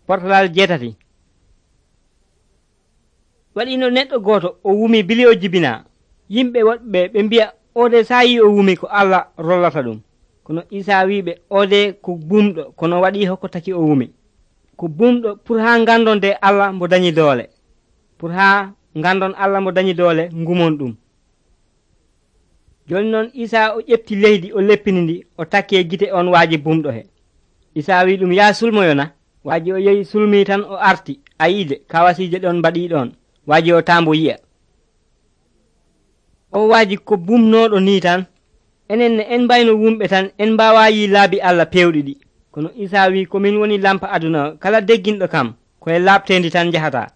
portalal 8. waɗino neɗɗo gooto o wumi bili o jibina. Yimɓe woɗɓe ɓe mbi'a oode sayi o wumi ko Allah rollata ɗum. Kono Isa wiɓe oode ko bumɗo kono waɗi hokko taki o wumi. Ko bumɗo pour ha ngandon de Allah mbo dañi doole. Pour ha ngandon Allah mbo dañi doole ngumon ɗum. Joni noon Isa o ƴefti leydi o leppini ndi o takki e gite on waaji bumɗo he. Isa wi ɗum ya sulmoyona. Waaji o yehi sulmi tan o arti a yiide kawasiije ɗon mbaɗi ɗon. Waaji o tambo yi'a. O waaji ko bumnoɗo ni tan. Enen en mbayno wumɓe tan en mbawa yi laabi Allah pewɗi ɗi. Kono Isa wi komin woni lampa aduna kala degginɗo kam koye laaɓtendi tan jahata.